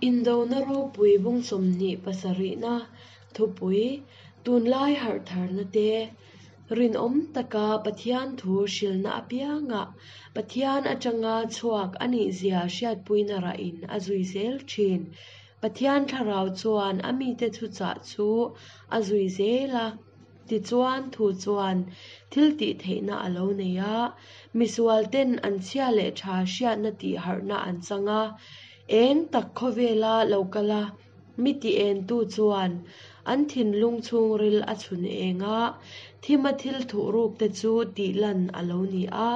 Indona ropui bung 27na thupui, tunlai harhtharna te, rinawm taka Pathian thu hrilhna apiangah Pathian atanga chhuak a nihzia hriatpuina rahin a zui zel thin. Pathian thlarau chuan a mite thuchah chu a zui zel a. Tichuan, thu chuan thil tih theihna a lo nei a, misualten an chhia leh tha hriatna tih harhna an chang a. Eng tak khawvela lo kal a, mi ti entu chuan an thinlung chhungril a chhun eng a, thima thil thuhruk te chu tih lan a lo ni a.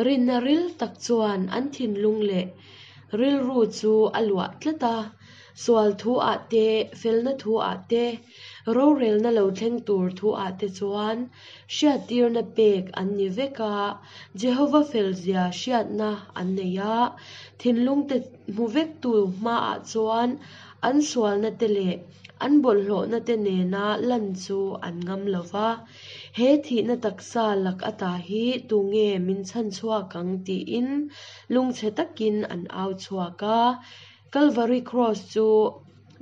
Rinna ril tak chuan an thinlung leh rilru chu a luah tlat a, sual thu ah te, felna thu ah te, rorelna lo thleng tur thu ah te chuan hriattirna pek an ni vek a, Jehova felzia hriatna an nei a, thinlung te hmu vektu hmaah chuan an sualna te leh an bawlhhlawhna te nena lan chu an ngam lo va. He thihna taksa lak ata hi tunge min chhan chhuak ang tiin lungchhe takin an au chhuak a. Kalvari Kraws chu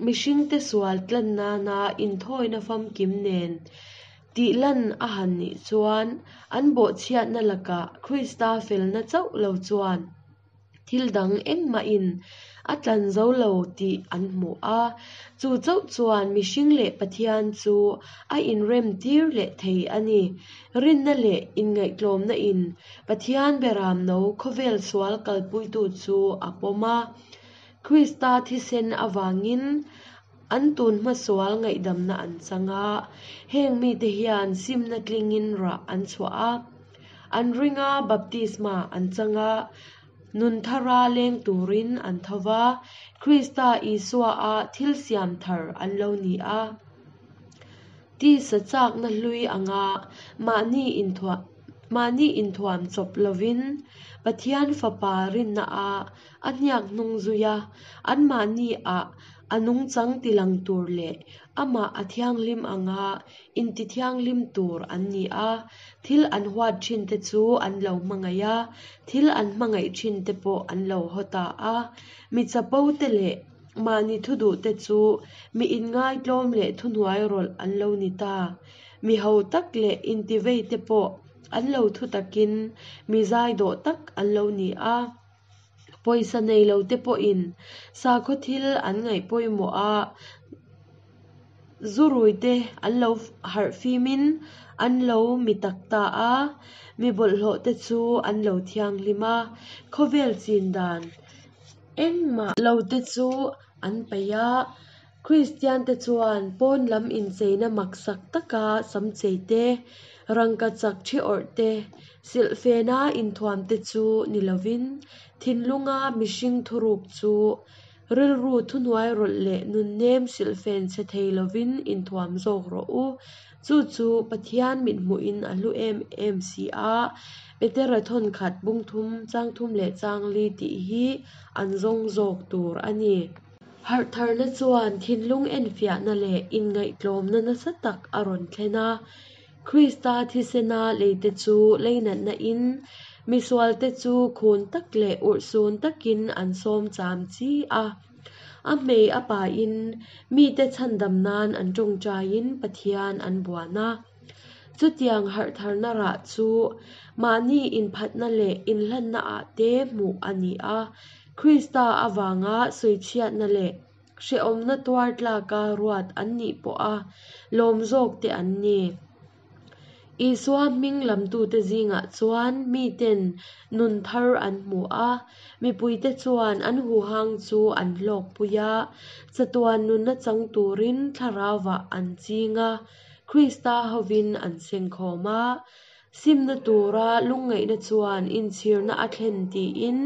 mihringte sual tlan nana inthawina famkim nen tih lan a han nih chuan an bawhchhiatna lakah Krista felna chauh lo chuan Thil dang engmahin a tlan zo lo tih an hmu a, chu chauh chuan mihring leh Pathian chu a inrem tir leh thei a ni. Rinna leh inngaihtlawmna in Pathian beramno khawvel sual kalpuitu chu a pawm a. Krista thisen avangin an tun hmasual ngaihdamna an chang a, heng mite hian simna tlingin rah an chhuah a. An ring a, baptisma an chang a, nun thara leng turin an tho va, Krista Isua-a thil siam thar an lo ni a. Tisa chakna hlui anga mahni inthuah mahni inthuam chawp lovin Pathian Fapa rinna-a a hniak hnung zui a, anmahni-ah a nungchang tilang tur leh amah a thianghlim anga Intithianghlim tur an ni a, thil an huat thin te chu an lo hmangaih a, thil an hmangaih thin te pawh an lo haw ta a. Mi chapo te leh mahni thu duh te chu mi inngaitlawm leh thuhnuai rawlh an lo ni ta. Mi ho tak leh intivei te pawh an lo thu takin mi zaidawh tak an lo ni a. Pawisa nei lo te pawhin sakhaw thil an ngaih pawimawh a, Zurui te an lo harh fimin an lo mi tak ta a, mi bawlhhlawh te chu an lo thianghlim a, khawvel chin dan engmah lo te chu an paih a. Kristian te chuan pawn lam incheina maksak taka sam chei te, rangka chak thi awrh te, silhfena inthuam te chu ni lovin thinlunga mihring thuruk chu Rilru thuhnuai rawlh leh nunnem silhfen chhe thei lovin inthuam zawk rawh u. Chu chu Pathian mithmuhin a hlu em em si a, Petera thawn khat bung thum, chang thum leh chang li tih hi an zawng zawk tur a ni. Harhtharna chuan thinlung enfiahna leh inngaihtlawmna nasa tak a rawn thlen a. Krista thisena leite chu leinatna in misualte chu khun tak leh urhsun takin an sawm cham chi a. A hmei a pain mite chhandam nan an tawngtaiin Pathian an buan a. Chutiang harhtharna rah chu mahni inphatna leh inhlanna ah te hmuh a ni a. Krista avanga sawichhiatna leh Hrehawmna tuar tlaka ruat an nih pawha lawm zawk te an ni. Isua hming lamtute zingah chuan miten nun thar an hmu a, mipuite chuan an huhang chu an hlawkpui a, chatuan nunna chang turin thlarauah an ching a, Krista hovin an sengkhawm a. Simna tura lungngaihna chuan inchhirna a thlen tiin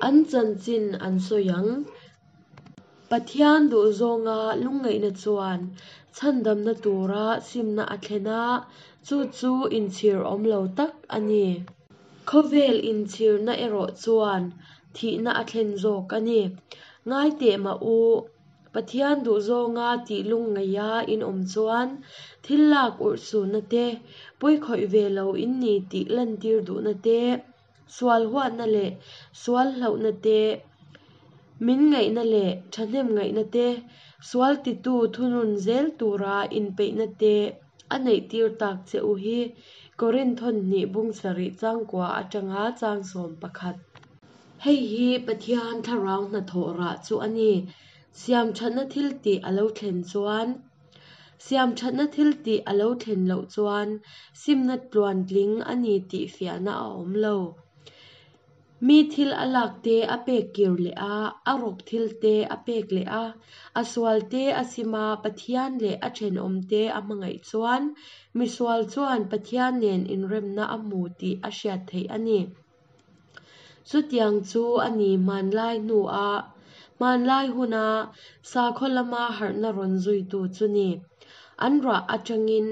an chanchin an sawi ang. Pathian duhzawnga lungngaihna chuan chhandamna tura simna a thlen a, chu chu inchhir awm lo tak a ni. Khawvel inchhirna erawh chuan thihna a thlen zawk a ni. Ngai teh mah u, Pathian duhzawnga tih lungngaih a inawm chuan thil lak urhsunna te, pawikhawih ve lo in ni tih lantir duhna te, Sual huatna leh sual hlauhna te. Min ngaihna leh thahnem ngaihna te, sual titu thunun zel tura inpeihna te a neihtir tak che u hi. Korinth hnih bung sarih changkua atanga chang 11. Hei hi Pathian thlarau hnathawh rah chu a ni. Siamthatna thil tih a lo thlen chuan Siamthatna thil tih a lo thlen loh chuan simna tluantling a ni tih fiahna a awm lo. Mi thil a lak te a pek kir leh a, a rawk thil te a pek leh a, a sual te a sim a, Pathian leh a thenawm te a hmangaih chuan misual chuan Pathian nen inremna a hmu tih a hriat theih a ni. Chutiang chu a ni hmanlai hnua hmanlai huna sakhaw lama harhna rawn zuitu chu ni. An rah atangin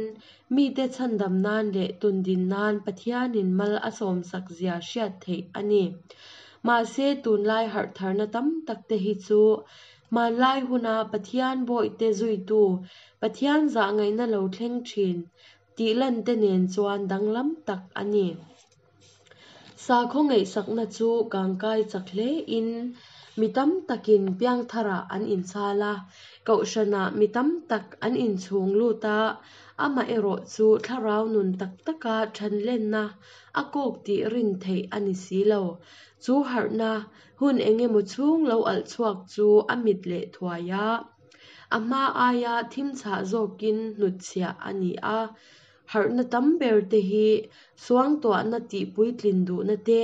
mite chhandam nan leh tundin nan Pathianin mal a sawmsak zia hriat theih a ni. Mahse tunlai harh tharna tam tak te hi chu hmanlai huna Pathian bawihte zuitu, Pathian zahngaihna lo thleng thin tih lan te nen chuan danglam tak a ni. Sakhaw ngaihsakna chu kangkai chak hle in mi tam takin piangtharah an inchhal a, kohhranah mi tam tak an inchhung lut a, amaherawh chu thlarau nun tak taka thanlenna a kawk tih rin theih a ni si lo. Chu harhna hun engemaw chhung lo alh chhuak chu a mit leh thuai a, a hma aia thim chhah zawkin hnutchhiah a ni a. Harhna tam ber te hi suangtuahna tih puitlin duhna te,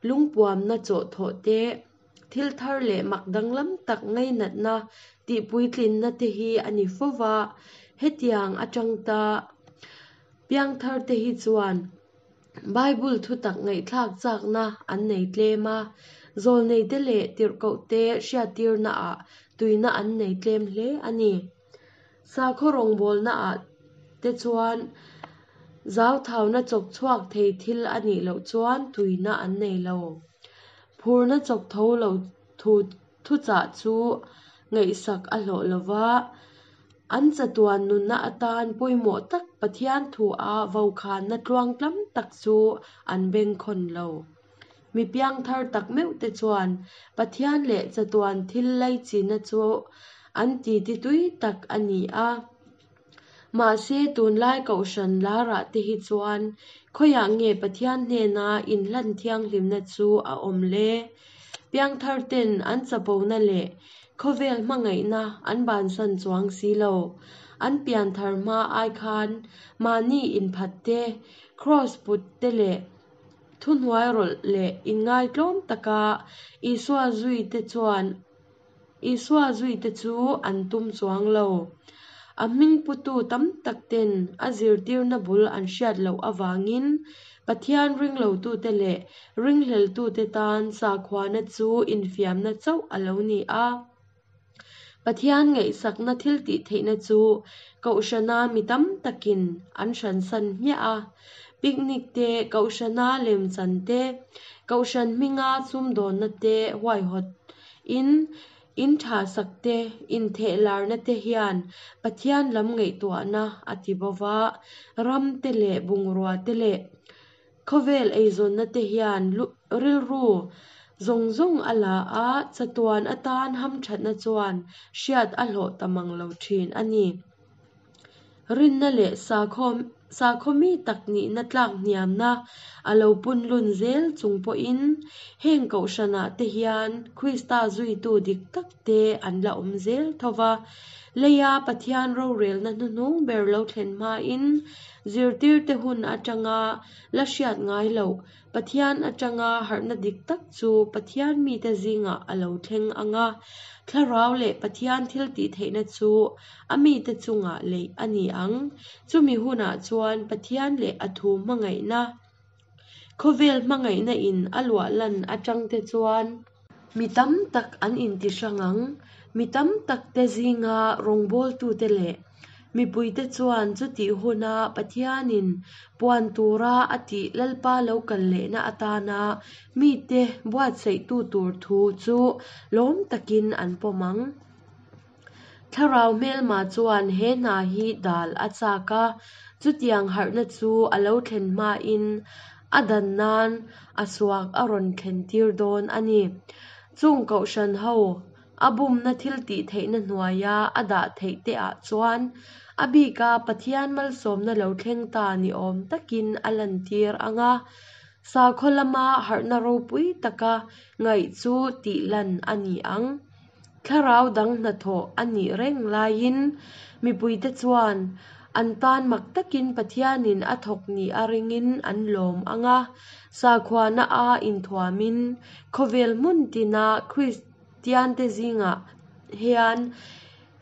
lungpuamna chawhthawh te, thil thar leh mak danglam tak ngainatna tih puitlinna te hi a ni fo va. Hetiang atang ta piangthar te hi chuan Bible thutak ngaihthlak chakna an nei tlem a, zawlneite leh tirhkohte hriattirnaah tuina an nei tlem hle a ni. Sakhaw rawngbawlnaah te chuan zauthauna chawk chhuak thei thil a nih loh chuan tuina an nei lo. Phurna chawk tho lo thu thuchah chu ngaihsak a hlawh lo va, an chatuan nunna atan pawimawh tak Pathian thua vokhanna tluangtlam tak chu an bengkhawn lo. Mi piangthar tak meuh te chuan Pathian leh chatuan thil laichinna chu an titi tui tak a ni a. Mahse tunlai kohhran larah te hi chuan khawiah nge Pathian hnena inhlan thianghlimna chu a awm le? Piangthar ten an chapona leh khawvel hmangaihna an bansan chuang si lo. An pianthar hma ai khan mahni inphat te, kraws put te leh Thuhnuai rawlh leh inngaitlawm taka Isua zuite chuan Isua zuite chu an tum chuang lo. A hming putu tam tak ten a zirtirna bul an hriat loh avangin Pathian ringlotute leh ringhleltute tan sakhuana chu infiamna chauh a lo ni a. Pathian ngaihsakna thiltih theihna chu Kohhrana mi tam takin an hransan hmiah a. Picnic te, Kohhrana lemchan te, Kohhran hminga sumdawnna te huaihawt in, in tha sak te, intheh larna te hian Pathian lam ngaihtuahna a ti bo va, ram te leh bungrua te leh Khawvel eizawnna te hian rilru zawng zawng a la a, chatuan atan hamthatna chuan hriat a hlawh ta mang lo thin a ni. Rinna leh sakhaw sakhaw mi tak nihna tlak hniamna a lo punlun zel chung pawhin heng kohhranah te hian Krista zuitu dik tak te an la awm zel tho va. Leia Pathian rorelna hnuhnung ber lo thlen hmain Zirtirte hun atanga la hriat ngai loh, Pathian atanga harhna dik tak chu Pathian mite zingah a lo thleng ang a, Thlarau leh Pathian thiltihtheihna chu a mite chungah leih a ni ang. Chumi hunah chuan Pathian leh a thu hmangaihna, khawvel hmangaihna in a luah lan atangte chuan, Mi tam tak an inti hrang ang. Mi tam takte zinga rawngbawltute leh mipuite chuan chutih huna Pathianin puan tura a tih Lalpa lo kal lehna atana mite buatsaihtu tur thu chu lawm takin an pawm ang. Thlarau hmelma chuan he hna hi dal a chak a, chutiang harhna chu a lo thlen hmain a dan nan a suak a rawn thlen tir dawn a ni. Chung kohhran ho. a bumna thiltihtheihna hnuaia a dah theih te ah chuan a bika Pathian malsawmna lo thleng ta ni awm takin a lantir ang a, sakhaw lama harhna ropui taka ngaih chu tihlan a ni ang. Thlarau dang hnathawh a nih reng laiin mipuite chuan an tan mak takin Pathianin a thawk nih a ringin an lawm ang a, sakhuana a inthuamin khawvel hmun tina Kristiante zingah hian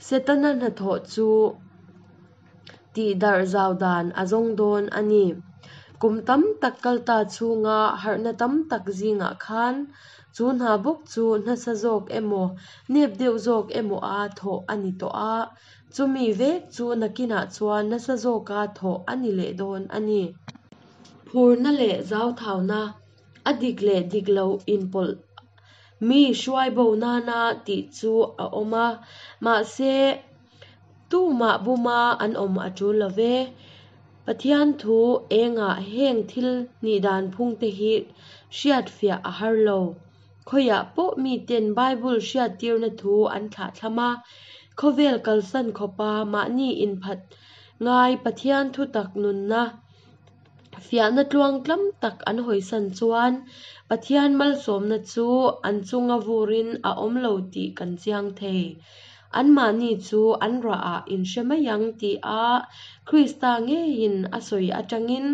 Setana hnathawh chu tihdarh zau dan a zawng dawn a ni. Kum tam tak kalta chhunga harhna tam tak zingah khan chu hna bawk chu nasa zawk emaw, nep deuh zawk emaw a thawh a ni tawh a, chumi vek chu nakinah chuan nasa zawka thawh a ni leh dawn a ni. Phurna leh zauthauna, a dik leh dik lo inpawlh mi hruai bo nana tih chu a awm a, mahse, Tumah buma an awm a tul lo ve. Pathian thu engah heng thil nih dan phungte hi hriatfiah a har lo. Khawiah pawh miten Bible hriattirna thu an thlahthlam a, khawvel kalsan khawpa mahni inphat ngai Pathian thutak nunna Fiahna tluangtlam tak an hawisan chuan Pathian malsawmna chu an chunga vurin a awm lo tih kan chiang thei. Anmahni chu an rahah in hre mai ang tih a Krista ngeiin a sawi atangin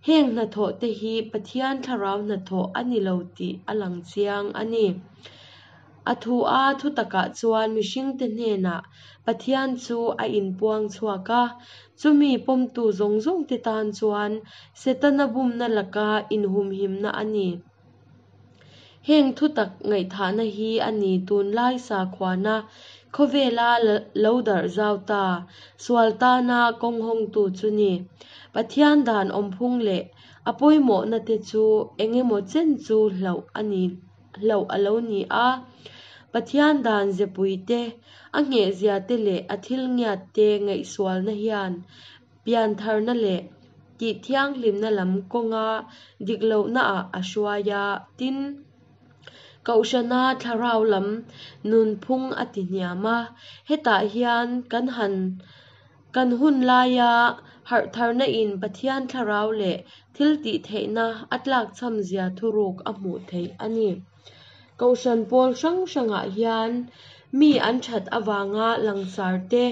heng hnathawh te hi Pathian thlarau hnathawh a ni lo tih a lang chiang a ni. A thu a thutakah chuan mihringte hnenah Pathian chu a inpuang chhuak a, chumi pawmtu zawng zawngte tan chuan Setana bumna laka inhumhimna a ni. Heng thutak ngaihthahna hi a ni tunlai sakhuana khawvela lo darh zau ta, sual tana kawng hawngtu chu ni. Pathian dan awmphung leh a pawimawhna te chu engemaw chen chu hlauh a ni. hlauh a lo ni a. Pathian dan zepui te, a nghehzia te leh a thil ngiat te ngaihsualna hian piantharna leh tihthianghlimna lam kawnga dik lohnaah a hruai a, tin, Kohhrana thlarau lam nunphung a ti hniam a. Hetah hian kan han Kan hun laia harhtharna in Pathian thlarau leh thil tih theihna a tlakchham zia thuruk a hmuh theih a ni. Kohhran pawl hrang hrangah hian mi an that avanga langsar te,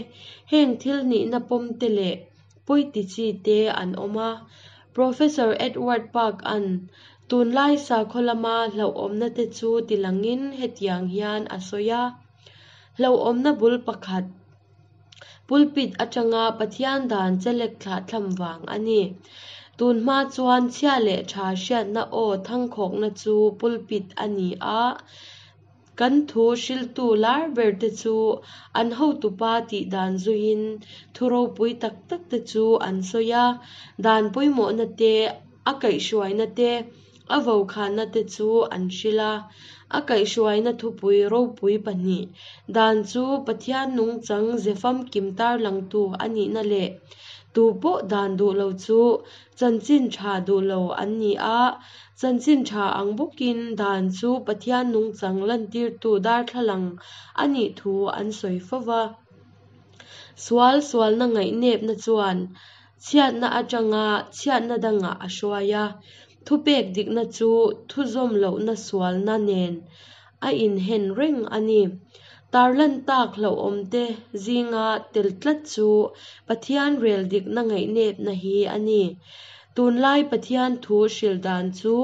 heng thil nihna pawm te leh pawiti chi te an awm a. Professor Edward Park-a'n tunlai sakhaw lama hlauhawmna te chu tilangin hetiang hian a sawi a, Hlauhawmna bul pakhat, Pulpit atanga Pathian dan chelek thlahthlam vang a ni. Tun hma chuan chhia leh tha hriatna aw thangkhawkna chu pulpit a ni a, kan thu hriltu lar ber te chu an hotupa tih dan zuiin thu ropui tak tak te chu an sawi a, dan pawimawhna te, a kaihhruaina te, A vokhanna te chu an hrilh a, a kaihhruaina thupui ropui pahnih dan chu Pathian nungchang ze famkim tarlangtu a nihna leh tu pawh dan duh lo chu chanchin tha duh lo an ni a, chanchin tha ang bawkin dan chu Pathian nungchang lantirtu darthlalang a nih thu an sawi fo va. Sual sualna ngaihnepna chuan Chhiatna atanga chhiatna dangah a hruai a, thupek dikna chu thuzawm lohna sualna nen a inhen reng a ni. Tarlan tak hlauhawmte zinga tel tlat chu Pathian rel dikna ngaihnepna hi a ni. Tunlai Pathian thu hrilh dan chu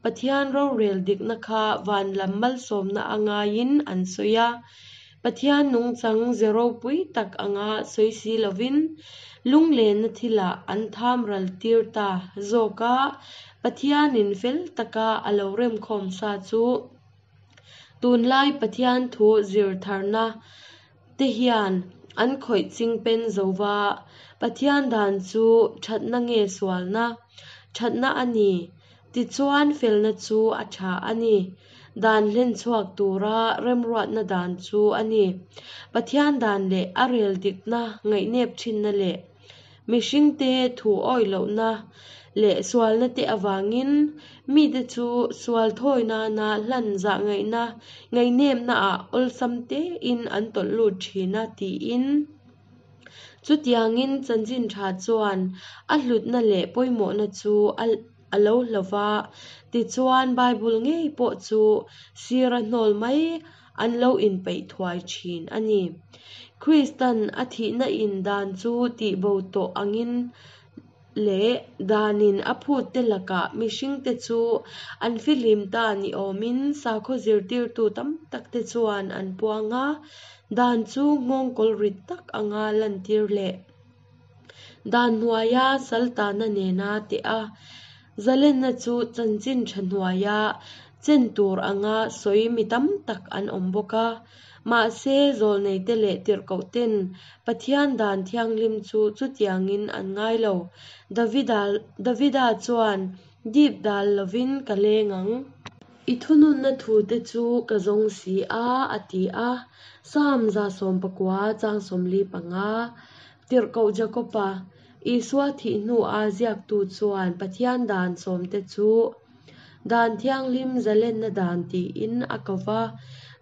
Pathian rorel dikna kha van lam malsawmna a ngaiin an sawi a, Pathian nungchang ze ropui tak anga sawi si lovin lunglenna thilah an tham ral tir ta zawk a, Pathianin fel taka a lo remkhawm sa chu tunlai Pathian thu zir tharna te hian an khawih ching pen zo va, Pathian dan chu thatna nge sualna? Thatna a ni. Tichuan felna chu a tha a ni. Dan hlen chhuak tura remruatna dan chu a ni. Pathian dan leh a rel dikna ngaihnep thinna leh mihringte thu awih lohna leh sualna te avangin mite chu sual thawi nana hlan zahngaihna ngaihnepna ah awlsam tein an tawlh lut thin a tiin. Chutiangin chanchin tha chuan a hlutna leh pawimawhna chu a lo hlo va, tichuan Bible ngei pawh chu sira hnawl mai an lo inpeih thuai thin a ni. Kristan a thihna in dan chu tihbo tawh angin leh danin a phutte lakah mihringte chu an fihlim ta ni awmin sakhaw zirtirtu tam takte chuan an puang a, dan chu nghawngkawl rit tak anga lantir leh dan hnuaia saltana nena teh a, zalenna chu chanchin tha hnuaia chen tur anga sawi mi tam tak an awm bawk a. Mahse, zawlneite leh tirhkohten Pathian dan thianghlim chu chutiangin an ngai lo. Davida Davida chuan, Dip dal lovin ka leng ang. I thununna thute chu ka zawng si a, a ti a. Psalm 119 chang 45. Tirhkoh Jakoba, Isua thih hnua ziaktu chuan Pathian dan sawmte chu Dan Thianghlim Zalenna Dan tiin a ko va,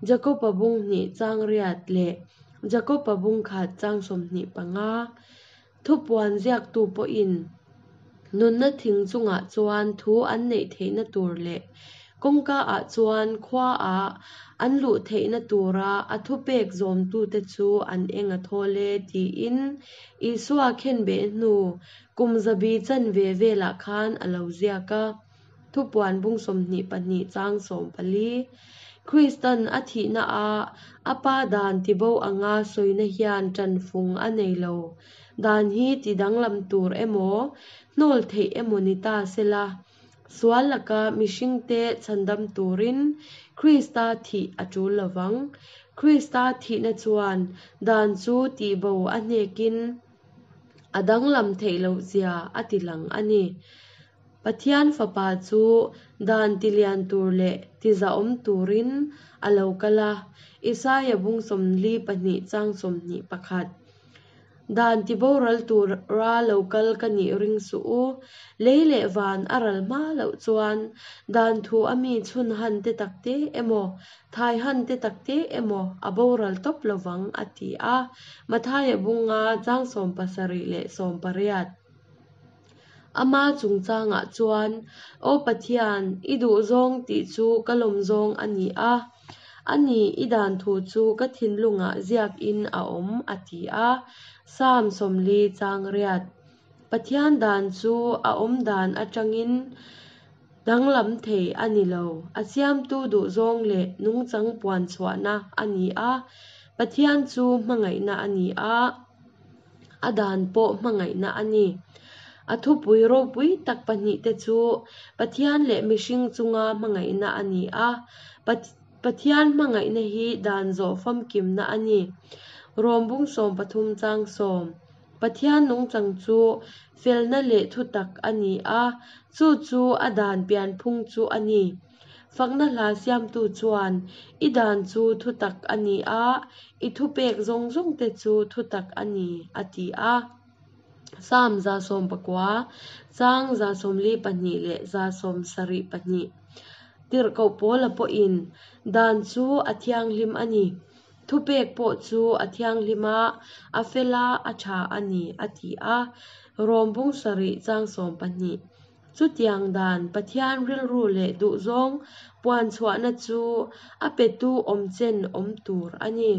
Jakoba bung hnih chang riat leh Jakoba bung khat chang 25. Thupuan ziaktu pawhin nunna thing chungah chuan thu an neih theihna tur leh kawngka ah chuan khua ah an luh theihna tura a thupek zawmtute chu an eng a thawl e tiin Isua khenbeh hnu kum zabi chanve velah khan a lo ziak a. Thupuan bung 22 chang 14. Kristan a thihna a a pa dan tibo anga sawina hian tanfung a nei lo. Dan hi ti danglam tur emaw, hnawl theih emaw ni ta sela, sual laka mihringte chhandam turin Krista thih a tul lovang. Krista thihna chuan dan chu tihbo a hnekin a danglam theih loh zia a ti lang a ni. Pathian Fapa chu dan tilian tur leh tizahawm turin a lo kal a, Isaia bung 42 chang 21. Dan tiboral tura lo kal ka nih ring suh u. Lei leh van a ral hma loh chuan dan thu a mi chhun han te tak te emaw, thai han te tak te emaw a boral tawp lovang, a ti a, Mathaia bunga chang 70 leh 80. Ama chungchangah chuan, Aw Pathian, i duhzawng tih chu ka lawmzawng a ni a, a ni, i dan thu chu ka thinlungah ziakin a awm, a ti a. Psalm 40 chang riat. Pathian dan chu a awm dan atangin danglam thei a ni lo. A siamtu duhzawng leh nungchang puan chhuahna a ni a. Pathian chu hmangaihna a ni a. A dan pawh hmangaihna a ni. A thupui ropui tak pahnihte chu Pathian leh mihring chunga hmangaihna a ni a, Pathian hmangaihna hi dan zawh famkimna a ni. Rom bung 13 chang 10. Pathian nungchang chu felna leh thutak a ni a, chu chu a dan pianphung chu a ni. Fakna hla siamtu chuan, I dan chu thutak a ni a, i thupek zawng zawngte chu thutak a ni, a ti a. Psalm 119 chang 142 leh 172. Tirhkoh Paula pawhin, Dan chu a thianghlim a ni, thupek pawh chu a thianghlim a, a fel a, a tha a ni, a ti a. Rom bung sarih chang 12. Chutiang dan Pathian rilru leh duhzawng puan chhuahna chu a petu awm chen awm tur a ni.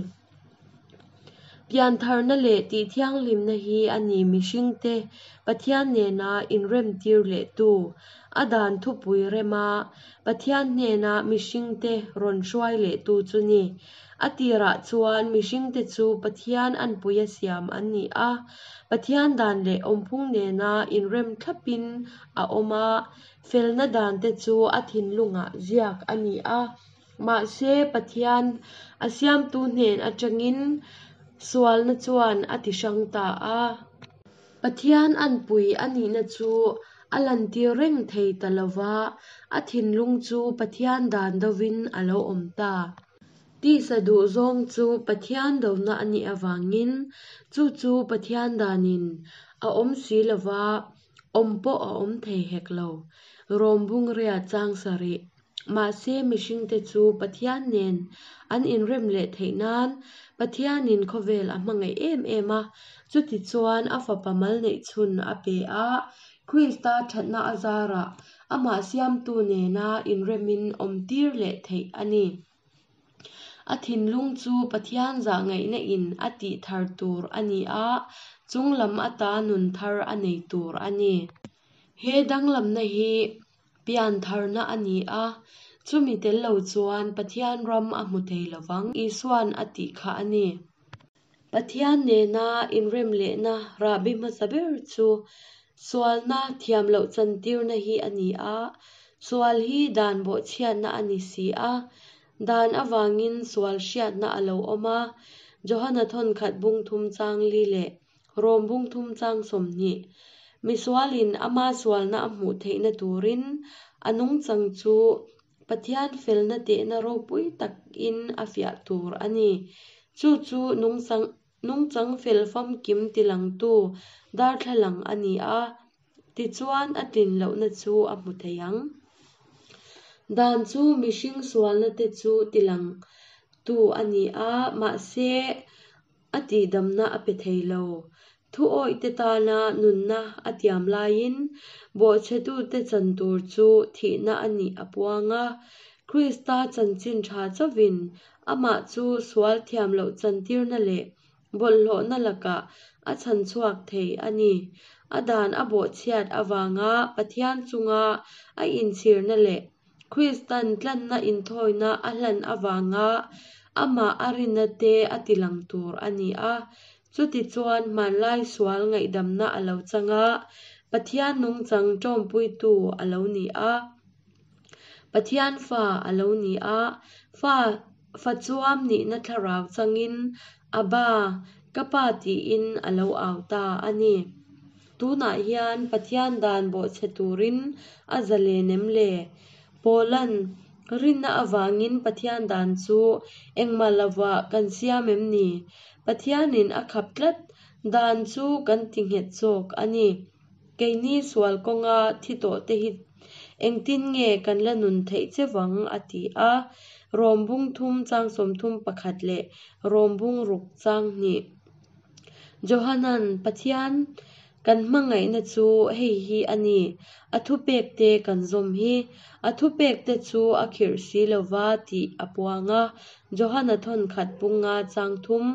Piantharna leh tihthianghlimna hi a ni mihringte Pathian nena inremtir lehtu, a dan thupui rema Pathian hnena mihringte rawn hruai lehtu chu ni. A tirah chuan mihringte chu Pathian anpuia siam an ni a, Pathian dan leh awmphung nena inrem thlapin a awm a, felna dante chu a thinlungah ziak a ni a. Mahse, Pathian a siamtu hnen atangin sualna chuan a ti hrang ta a. Pathian anpui a nihna chu a lantir reng thei ta lo va, a thinlung chu Pathian dan dovin a lo awm ta. Tisa duhzawng chu Pathian dona a nih avangin chu chu Pathian danin a awm si lo va. Awm pawh a awm thei hek lo. Rom bung riat chang sarih. Mahse mihringte chu Pathian nen an inrem leh theih nan Pathianin khawvel a hmangaih em em a, chutichuan a Fapa mal neih chhun a pe a, Krista thatna a zarah amah siamtu nena inremin awmtir leh theih a ni. A thinlung chu Pathian zahngaihna in a tih thar tur a ni a, chunglam ata nun thar a nei tur a ni. He danglamna hi piantharna a ni a, chumi tel lo chuan Pathian ram a hmu thei lovang Isuan a tih kha a ni. Pathian nena inrem lehna rahbi hmasa ber chu sualna thiam loh chantirna hi a ni a, sual hi dan bawhchhiatna a ni si a, dan avangin sual hriatna a lo awm a, Johana thawnkhat bung thum chang li leh Rom bung thum chang 20. Misualin ama sualna a hmuh theihna turin a nungchang chu Pathian felna tehna ropui takin a fiah tur a ni. Chu chu nungchang fel famkim tilangtu darthlalang a ni a, tichuan a tlin lohna chu a hmu thei ang. Dan chu mihring sualna te chu tilangtu a ni a, mahse a tihdamna a pe thei lo. Thu awihte tana nunna a tiam laiin bawhchhetute chan tur chu thihna a nih a puang a. Krista chanchin tha chauhin amah chu sual thiam loh chantirna leh bawlhhlawhna lakah a chhan chhuak thei a ni. A dan a bawhchhiat avanga Pathian chunga a inchhirna leh Kristan tlanna inthawina a hlan avanga amah a rinna te a tilang tur a ni a. Chutichuan hmanlai sual ngaihdamna a lo chang a, Pathian nungchang ṭawmpuitu a lo ni a. Pathian fa a lo ni a, fa fa chuam nihna thlarau changin Abba, ka Pa tiin a lo au ta a ni. Tunah hian Pathian dan bawhchhe turin a zalen em le? Paula'n, Rinna avangin Pathian dan chu engmah lovah kan siam em ni? Pathianin a khap tlat dan chu kan ti nghet zawk a ni. Keini sual kawnga thi tawhte hi engtin nge kan la nun theih che vang? a ti a. Rom bung thum chang 31 leh Rom bung ruk chang hnih. Johanan, Pathian kan hmangaihna chu hei hi a ni, a thupekte kan zawm hi. A thupekte chu a khirh si lova tih a puang a, Johana thawnkhat punga chang thum.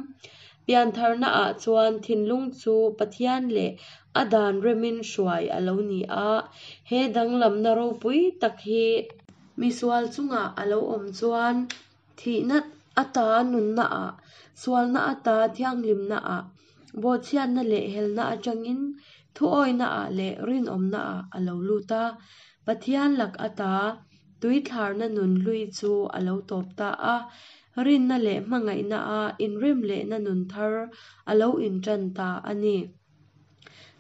Piantharna ah chuan thinlung chu Pathian leh a dan remin hruai a lo ni a, he danglamna ropui tak hi misual chungah a lo awm chuan Thihna ata nunna ah, sualna ata thianghlimna ah, bawhchhiatna leh helna atangin thuawihna ah leh rinawmna ah a lo lut a. Pathian lak ata tuithlarna nun hlui chu a lo tawp ta a, rinna leh hmangaihna a inrem lehna nun thar a lo intan ta a ni.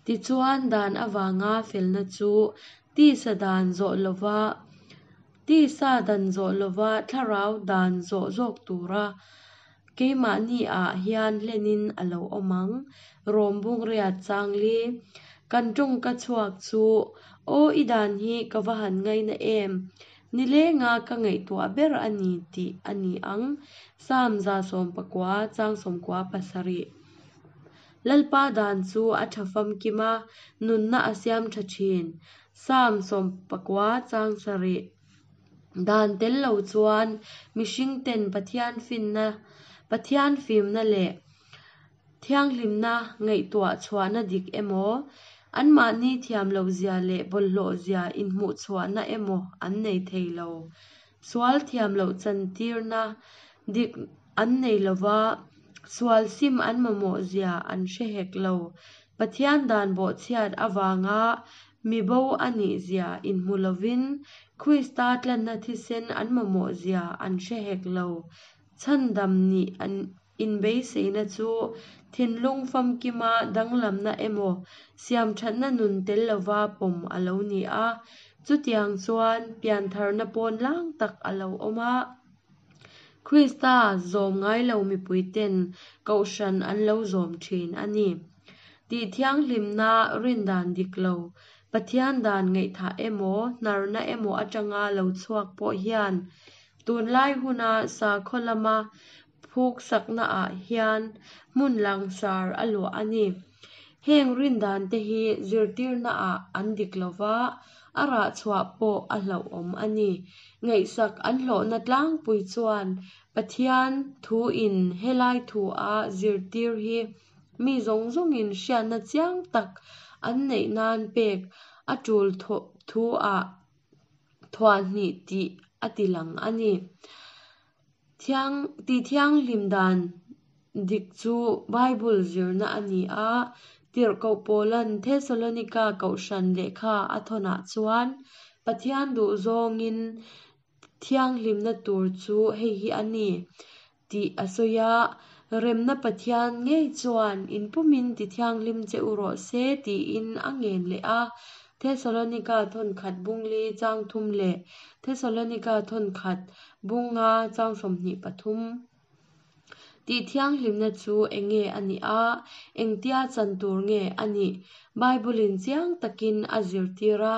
Tichuan dan avanga felna chu tisa dan zawh lova Tisa dan zawh lova thlarau dan zawh zawk tura keimahni ah hian hlenin a lo awm ang. Rom bung riat chang li. Kan tawngka chhuak chu, Aw i dan hi ka va han ngaina em! Nilenga ka ngaihtuah ber a ni tih a ni ang. Psalm 119 chang 97. Lalpa dan chu a tha famkim a, nunna a siam tha thin. Psalm 90 chang sarih. Dan tel lo chuan mihringten Pathian finna, Pathian fimna leh thianghlimna ngaihtuah chhuahna dik emaw, anmahni thiam lohzia leh bawlhhlawhzia inhmuhchhuahna emaw an nei thei lo. Sual thiam loh chantirna dik an nei lova, sual sim an mamawhzia an hre hek lo. Pathian dan bawhchhiat avanga mi bo a nih zia inhmu lovin Krista tlanna thisen an mamawh zia an hre hek lo. Chhandam nih an inbeiseina chu thinlung famkima danglamna emaw siamthatna nun tel lova pawm a lo ni a. Chutiang chuan piantharna pawn lang tak a lo awm a. Krista zawm ngai lo mipuiten kohhran an lo zawm thin a ni. Tih thianghlimna rindan dik lo. Pathian dan ngaihthah emaw, hnarna emaw atanga lo chhuak pawh hian tunlai huna sakhaw lama phuksaknaah hian hmun langsar a luah a ni. Heng rindante hi zirtirnaah an dik lova, a rah chhuah pawh a hlauhawm a ni. Ngaihsak an hlawhna tlangpui chuan Pathian thuin helai thua zirtir hi mi zawng zawngin hriatna chiang tak an neih nan pek a tul thu-ah thuahhnih tih a tilang a ni. Thiang tihthianghlim dan dik chu Bible zirna a ni a, Tirhkoh Paula'n Thesalonika kohhran lehkha a thawnah chuan Pathian duhzawngin thianghlimna tur chu hei hi a ni tih a sawi a, Remna Pathian ngei chuan in pumin tithianghlim che u rawh se tiin a ngen leh a. Thesalonika thawnkhat bungli chang thum leh Thesalonika thawnkhat bunga chang 23. Tih thianghlimna chu eng nge a nih a, engtia chan tur nge a nih? Bible-in chiang takin a zirtir a,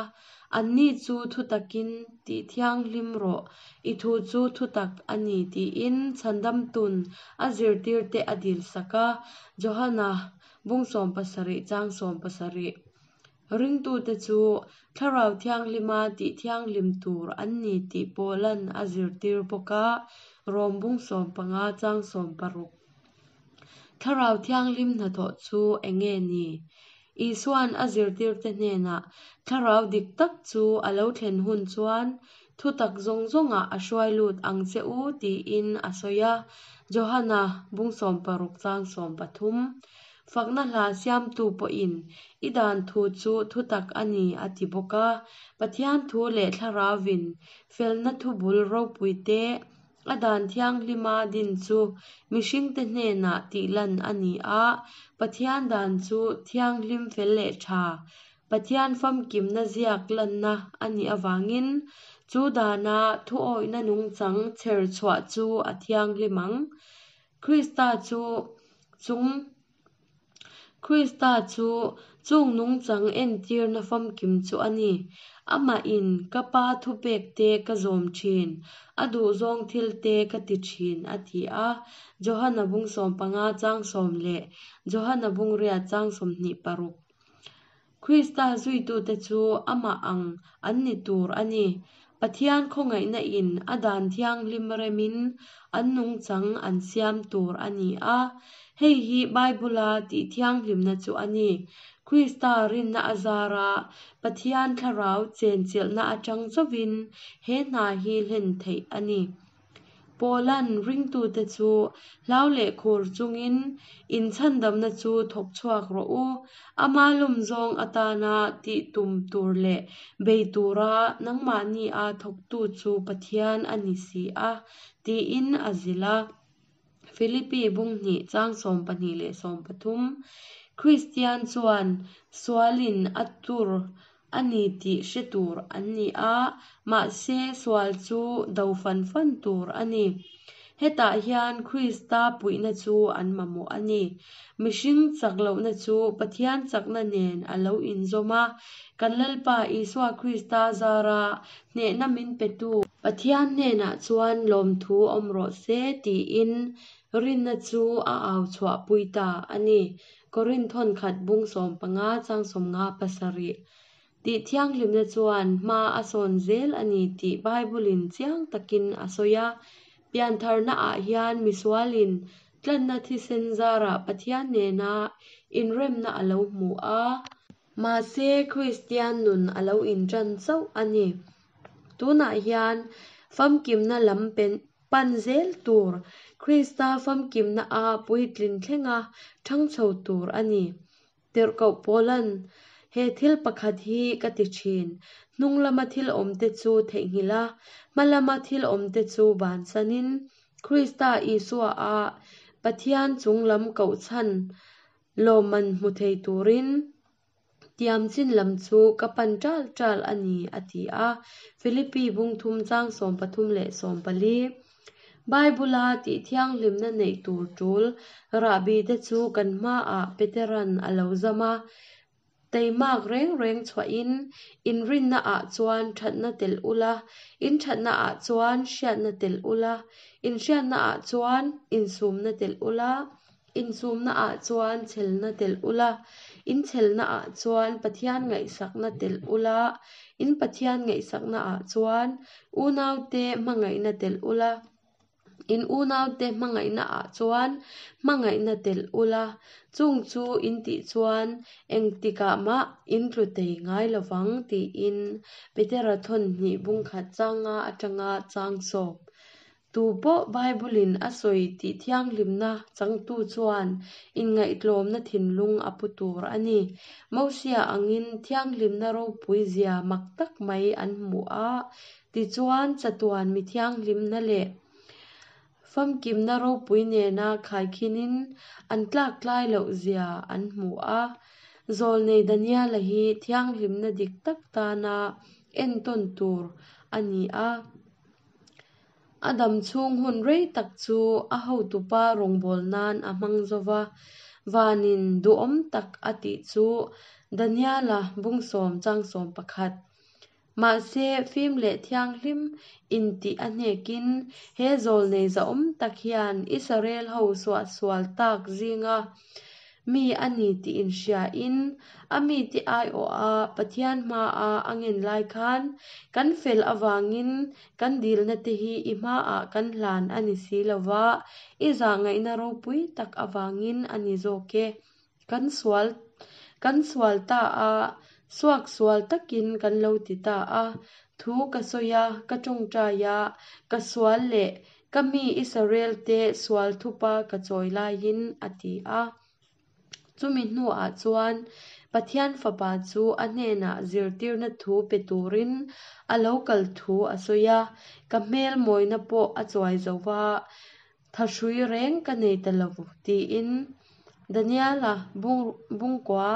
Anni chu thutakin tih thianghlim rawh, i thu chu thutak a ni tiin chhandamtun a zirtirte a dilsak a, Johana bung 70 chang 70. Ringtute chu Thlarau Thianghlima tih thianghlim tur an ni tih Paula'n a zirtir bawk a, Rom bung 15 chang 16. Thlarau Thianghlim hnathawh chu eng nge ni? Isua'n a zirtirte hnenah Thlarau dik tak chu a lo thlen hun chuan thutak zawng zawngah a hruai lut ang che u tiin a sawi a, Johana bung 60 chang 13. Fakna hla siamtu pawhin i dan thu chu thutak a ni a ti bawk a. Pathian thu leh Thlarauvin felna thubul ropuite a dan thianghlima din chu mihringte hnenah tihlan a ni a. Pathian dan chu thianghlim fel leh tha, Pathian famkimna ziak lanna a nih avangin chu dana thuawihna nungchang chher chhuah chu a thianghlim ang. Krista chu chung Krista chu chung nungchang entirna famkim chu a ni. Amahin ka Pa thupekte ka zawm thin, a duhzawng thilte ka ti thin, a ti a. Johana bung 15 chang sawm leh Johana bung riat chang 26. Krista zuitute chu amah ang an ni tur a ni. Pathian khawngaihna in a dan thianghlim remin an nungchang an siam tur a ni a. Hei hi Bible-a tih thianghlimna chu a ni. Krista rinna a zara Pathian thlarau chenchilhna atang chauhin he hna hi hlen theih a ni. Paula'n ringtute chu hlau leh khur chungin inchhandamna chu thawk chhuak rawh u. Ama lawmzawng atana tih tum tur leh bei tura nangmahni a thawktu chu Pathian a ni si a, tiin a zilh a. Philippi bung hnih chang 12 leh 13, Kristian chuan sualin a tur a ni tih hre tur an ni a, mahse sual chu do fan fan tur a ni. Hetah hian Krista puihna chu an mamawh a ni. Mihring chak lohna chu Pathian chakna nen a lo inzawm a, kan Lalpa Isua Krista zara hnehna min petu Pathian hnenah chuan lawmthu awm rawh se tiin rinna chu a au chhuahpui ta a ni. Korinth thawnkhat bung 15 chang 57 tih thianghlimna chuan hma a sawn zel a ni tih Bible-in chiang takin a sawi a. Piantharnaah hian misualin tlanna thisen zarah Pathian nena inremna a lo hmu a. Mahse, Kristian nun a lo inṭan chauh a ni. Tunah hian famkimna lam pan zel tur, Krista famkimna a puitlin thlenga ṭhang chho tur a ni. Tirhkoh Paula'n, He thil pakhat hi ka ti ṭhin, hnung lama thil awmte chu theihnghilh a, hma lama thil awmte chu bansanin, Krista Isua a Pathian chung lam kohchhan lawmman hmu thei turin, Tiam chin lam chu ka pan ṭal ṭal a ni, a ti a. Philippi bung thum chang 13 leh 14. Bible-a tih thianghlimna neih tur ṭul rahbi te chu kan hmaah Petera'n a lo zam a. Teimak reng reng chhuahin in rinna ah chuan thatna telh ula, in thatna ah chuan hriatna telh ula, in hriatna ah chuan insumna telh ula, insumna ah chuan chhelna telh ula, in chhelna ah chuan Pathian ngaihsakna telh ula, in Pathian ngaihsakna ah chuan unaute hmangaihna telh ula. In unaute hmangaihna ah chuan hmangaihna telh ula, chung chu in tih chuan engtikah mah in tlu tei ngai lovang tiin Petera thawn hnih bungkhat changa atanga chang sawp. Tu pawh Bible-in a sawi tih thianghlimna changtu chuan inngaihtlawmna thinlung a pu tur a ni. Mosia angin thianghlimna ropui zia mak tak mai an hmu a, Tichuan, chatuan mi thianghlimna leh famkimna ropui nena khaikhinin an tlaktlai loh zia an hmu a. Zawlnei Daniela hi thianghlimna dik tak tana entawn tur a ni a. A dam chhung hun rei tak chu a hotupa rawngbâwl nan a hmang zo va, vanin duhawm tak a tih chu Daniela bungsawm changsawm pakhat Mahse, fim leh thianghlim intih a hnekin he zawlnei zahawm tak hian Israel ho suahsual tak zinga mi a ni tih inhriain a mite aiawha Pathian hmaa a ngen lai khan kan fel avangin kan dilna te hi i hmaah kan hlan a ni si lova, i zahngaihna ropui tak avangin a ni zawk e. Kan sual kan sual ta a, suak sual takin kan lo ti ta a. Thu ka sawi a, ka tawngtai a, ka sual leh ka mi Israel te sual thupa ka chawi laiin a ti a. Chumi hnuah chuan Pathian Fapa chu a hnenah zirtirna thu pe turin a lo kal thu a sawi a, ka hmel mawina pawh a chuai zo va, Thahrui reng ka nei ta lo tiin Daniela bungkua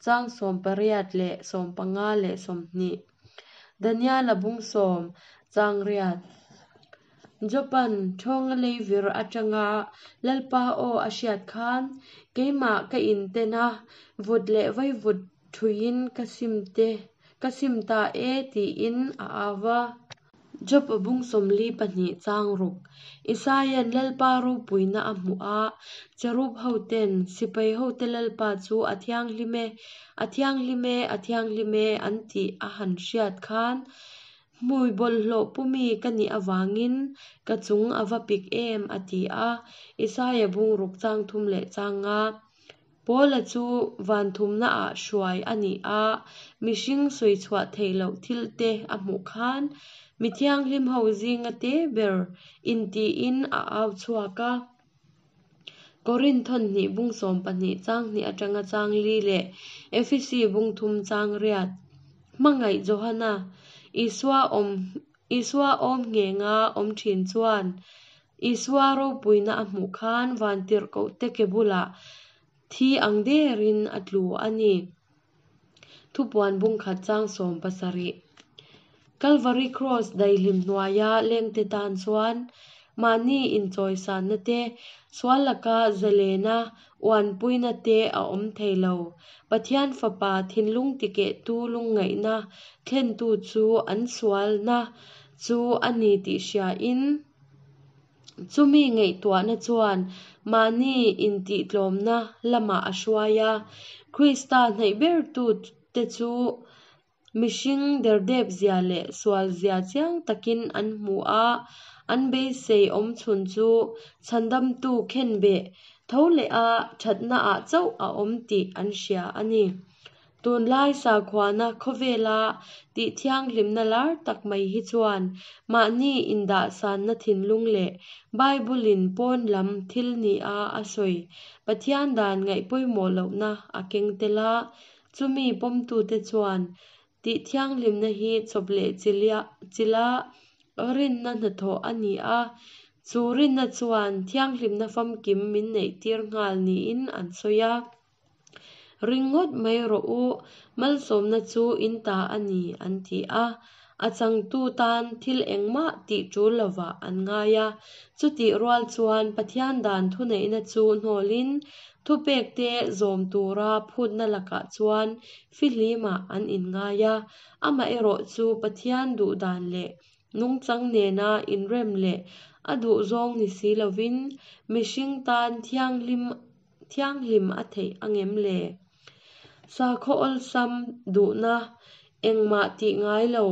chang 18 leh 15 leh 20. Daniela bung sawm chang riat. Jopan thawnga leivir atanga Lalpa aw a hriat khan keimah ka inten a, vut leh vaivut thuiin ka sim te ka sim ta e tiin a au va. Job a bung 42 chang ruk. Isaia'n Lalpa ropuina a hmuh a, cherub hoten sipai hote Lalpa chu a thianghlim e, a thianghlim e, a thianghlim e an tih a han hriat khan hmui bawlhhlawh pumi ka nih avangin ka chung a va pik em a ti a, Isaia bung ruk chang thum leh chang nga. Paula chu van thumnaah hruai a ni a, mihring sawi chhuah theih loh thil te a hmuh khan mi thianghlim ho zinga te ber intiin a au chhuak a. Korinth thawn hnih bung 12 chang hnih atanga chang li leh Efesi bung thum chang riat. Hmangaih Johana, Isua awm Isua awm nghenga awm thin chuan Isua ropuina a hmuh khan vantirhkohte ke bulah thi ang derin a tlu a ni. Thupuan bungkhat chang 17. Calvary Cross daihlim hnuaia lengte tan chuan mahni inchawisanna te, sual laka zalena uanpuina te a awm thei lo. Pathian Fapa thinlung tikehtu lungngaihna thlentu chu an sualna chu a ni tih hriain, Chumi ngaihtuahna chuan mahni intihtlawmna lamah a hruai a, Krista hnaih bertute chu mihring derdep zia leh sual zia chiang takin an hmu a, an beisei awm chhun chu chhandamtu khenbeh tho leha thatnaah chauh a awm tih an hria a ni. Tunlai sakhuana khawvela tih thianghlimna lar tak mai hi chuan mahni indahsanna thinlung leh Bible-in pawn lam thil nia a sawi Pathian dan ngaih pawimawh lohna a keng tel a, chumi pawmtute chuan tih thianghlimna hi chawp leh chilha rinna hnathawh a ni a, chu rinna chuan thianghlimna famkim min neihtir nghal niin an sawi a. Ring ngawt mai rawh u, malsawmna chu in ta a ni, an ti a. A changtu tan thil engmah tih ṭul lovah an ngai a. Chutih rual chuan Pathian dan thuneihna chu hnawlin thupekte zawm tura phutna lakah chuan fihlimah an inngai a. Amaherawhchu Pathian duhdan leh nungchang nena inrem leh a duhzawng ni si lovin mihring tan thianghlim thianghlim a theih angem le? Sakhaw awlsam duhna engmah tih ngai lo,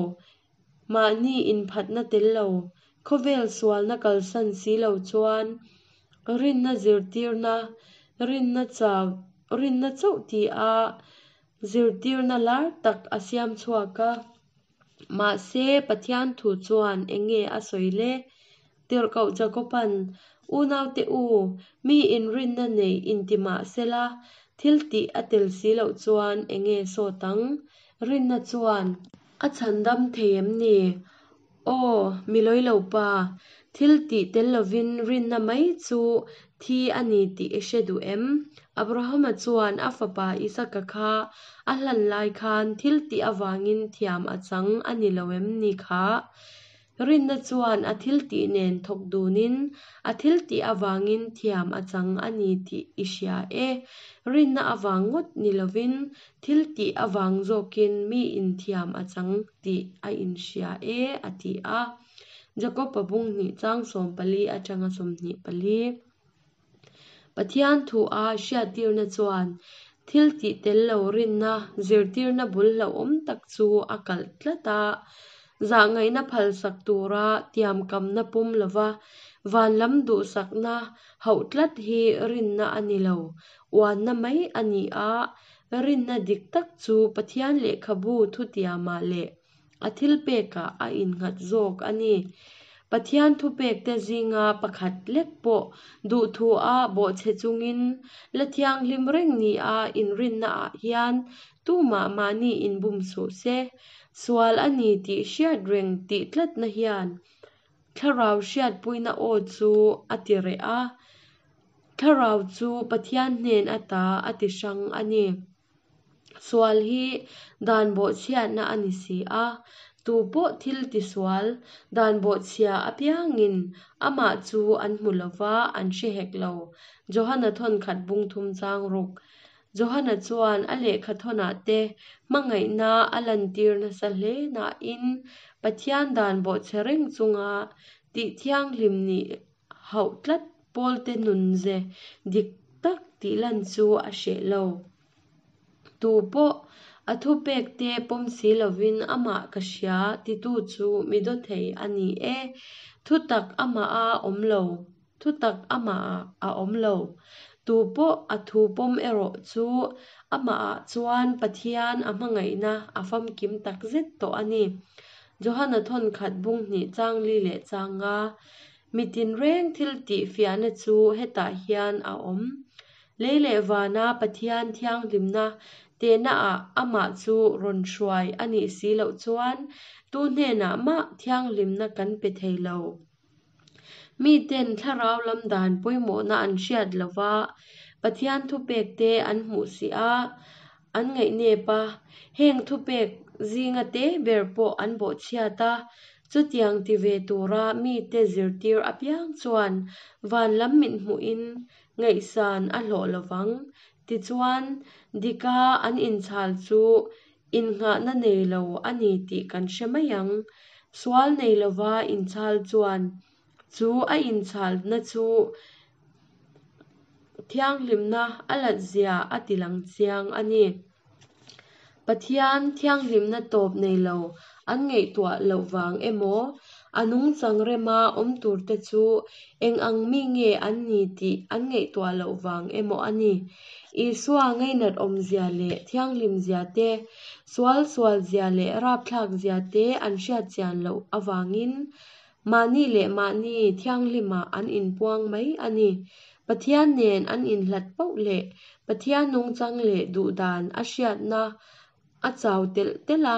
mahni inphatna tel lo, khawvel sualna kalsan si lo chuan rinna zirtirna, rinna chau, rinna chauh tia zirtirna lar tak a siam chhuak a. Mahse, Pathian thu chuan eng nge a sawi le? Tirhkoh Jakoba'n, Unaute u, mi inrinna nei inti mah sela, thil tih a tel si loh chuan eng nge sawt ang? Rinna chuan a chhandam thei em ni? Aw, mi lawi lo pa, thil tih tel lovin rinna mai chu thi a ni tih i hre duh em? Abrahama chuan a fapa Isaka kha a hlan lai khan thil tih avangin thiam a chang a ni lo em ni kha? Rinna chuan a thil tih nen thawk dunin a thil tih avangin thiam a chang a ni tih i hria e. Rinna avang ngawt ni lovin thil tih avang zawkin miin thiam a chang tih a inhria e, a ti a. Jakob-a bung hnih chang 14 atanga 24. Pathian thu-a hriattirna chuan thil tih tel lo rinna zirtirna bul hlauhawm tak chu a kalh tlat a. Zahngaihna phalsak tura tiamkamna pawm lova van lam duhsakna hauh tlat hi rinna a ni lo, uanna mai a ni a. Rinna dik tak chu Pathian lehkhabu thutiamah leh a thilpekah a innghat zawk a ni. Pathian thupekte zinga pakhat lek pawh duhthua bawhchhe chungin la thianghlim reng nia inrinnaah hian tumah mahni inbum suh se. Sual a ni tih hriat reng tih tlatna hian thlarau hriatpuina aw chu a ti reh a, thlarau chu Pathian hnen ata a ti hrang a ni. Sual hi dan bawhchhiatna a ni si a, tu pawh thil tisual dan bawhchhia apiangin amah chu an hmu lo va, an hre hek lo. Johana thawnkhat bung thum chang ruk. Johana chuan a lehkha thawnah te hmangaihna a lantir nasa hle nain Pathian dan bawhchhe reng chunga tih thianghlim nih hauh tlat pawlte nunze dik tak tih lan chu a hreh lo. Tu pawh a thupekte pawm si lovin amah ka hria titu chu mi dawthei a ni e. Thutak amah a awm lo, thutak amah a awm lo. Tu pawh a thu pawm erawh chu amahah chuan Pathian a hmangaihna a famkim takzet tawh a ni. Johana thawnkhat bung hnih chang li leh chang nga. Mi tinreng thil tih fiahna chu hetah hian a awm. Lei leh vana Pathian thianghlimna tehnaah amah chu rawn hruai a nih si loh chuan tu hnenah mah thianghlimna kan pe thei lo. Miten thlarau lam dan pawimawhna an hriat lova Pathian thupekte an hmuh si a, an ngaihnep a, heng thupek zinga te ber pawh an bawhchhiat a, chutiang ti ve tura mite zirtir apiang chuan van lam mithmuhin ngaihsan a hlawh lovang. Tichuan, dika an inchhal chu innghahna nei lo a ni tih kan hre mai ang. Sual nei lova inchhal chuan chu a inchhalna chu thianghlimna a latzia a ti lang chiang a ni. Pathian thianghlimna tawp nei lo an ngaihtuah loh vang emaw, a nungchang rema awm turte chu eng ang mi nge an ni tih an ngaihtuah loh vang emaw a ni. Isua ngainat awmzia leh thianghlimzia te, sual sualzia leh rapthlakzia te an hriatchian loh avangin Mahni leh mahni thianghlimah an inpuang mai a ni. Pathian nen an inhlat poh leh Pathian nungchang leh duhdan a hriatna a chau telh telh a,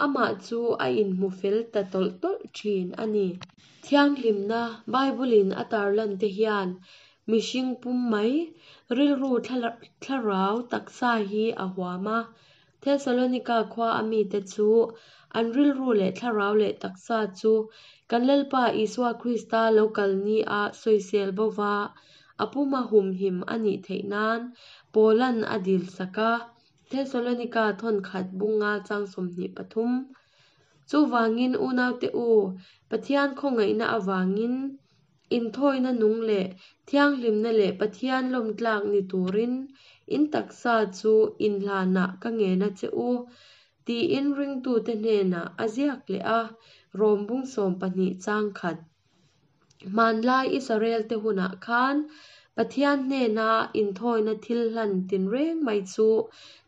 amah chu a inhmu fel ta tawlh tawlh thin a ni. Thianghlimna Bible-in a tarlan te hian mihring pum mai, rilru thlarau taksa hi a huam a. Thesalonika khua a mite chu An rilru leh thlarau leh taksa chu kan Lalpa Isua Krista lo kal ni ah sawisel bo va, a puma humhim a nih theih nan Paula'n a dil sak a. Thesalonika thawnkhat bunga chang 23. Chuvangin unaute u, Pathian khawngaihna avangin inthawina nung leh thianghlimna leh Pathian lawmtlak ni turin in taksa chu inhlanah ka ngen a che u, tiin ringtute hnenah a ziak leh a, Rom bung 12 chang khat. Hmanlai Israelte hunah khan Pathian hnena inthawina thil hlan tinreng mai chu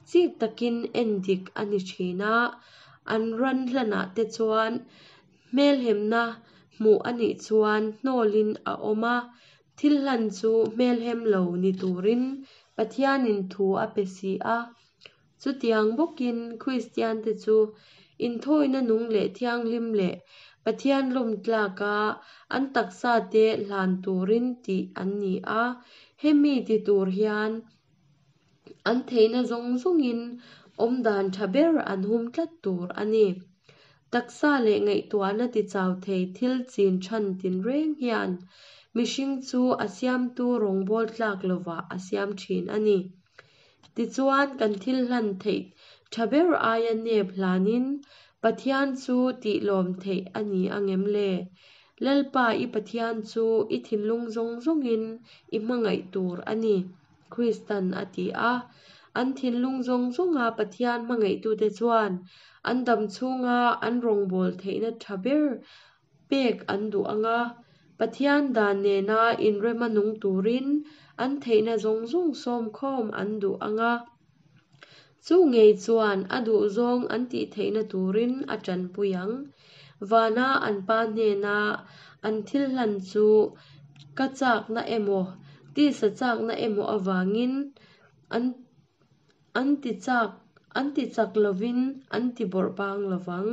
chik takin endik a ni thin a, an ran hlanah te chuan hmelhemna hmuh a nih chuan hnawlin a awm a, thil hlan chu hmelhem lo ni turin Pathianin thu a pe si a. Chutiang bawkin Kristiante chu inthawina nung leh thianghlim leh Pathian lawmtlaka an taksate hlan turin tih an ni a, hemi ti tur hian an theihna zawng zawngin awmdan tha ber an hum tlat tur a ni. Taksa leh ngaihtuahna tichau thei thil chin chhan tinreng hian mihring chu a siamtu rawngbawl tlak lovah a siam thin a ni. Tichuan, kan thil hlan theih tha ber aia nep hlanin Pathian chu tih lawm theih a ni angem le? Lalpa i Pathian chu i thinlung zawng zawngin i hmangaih tur a ni, Kristan a ti a. An thinlung zawng zawnga Pathian hmangaihtute chuan an dam chhunga an rawngbawl theihna tha ber pek an duh ang a, Pathian dan nena inrema nung turin an theihna zawng zawng sawmkhawm an duh ang a. Chu ngei chuan a duhzawng an tih theihna turin a tanpui ang. Vana an pa hnena an thil hlan chu ka chakna emaw, tisa chakna emaw avangin an An ti chak, an ti chak lovin an ti bawrh bang lovang.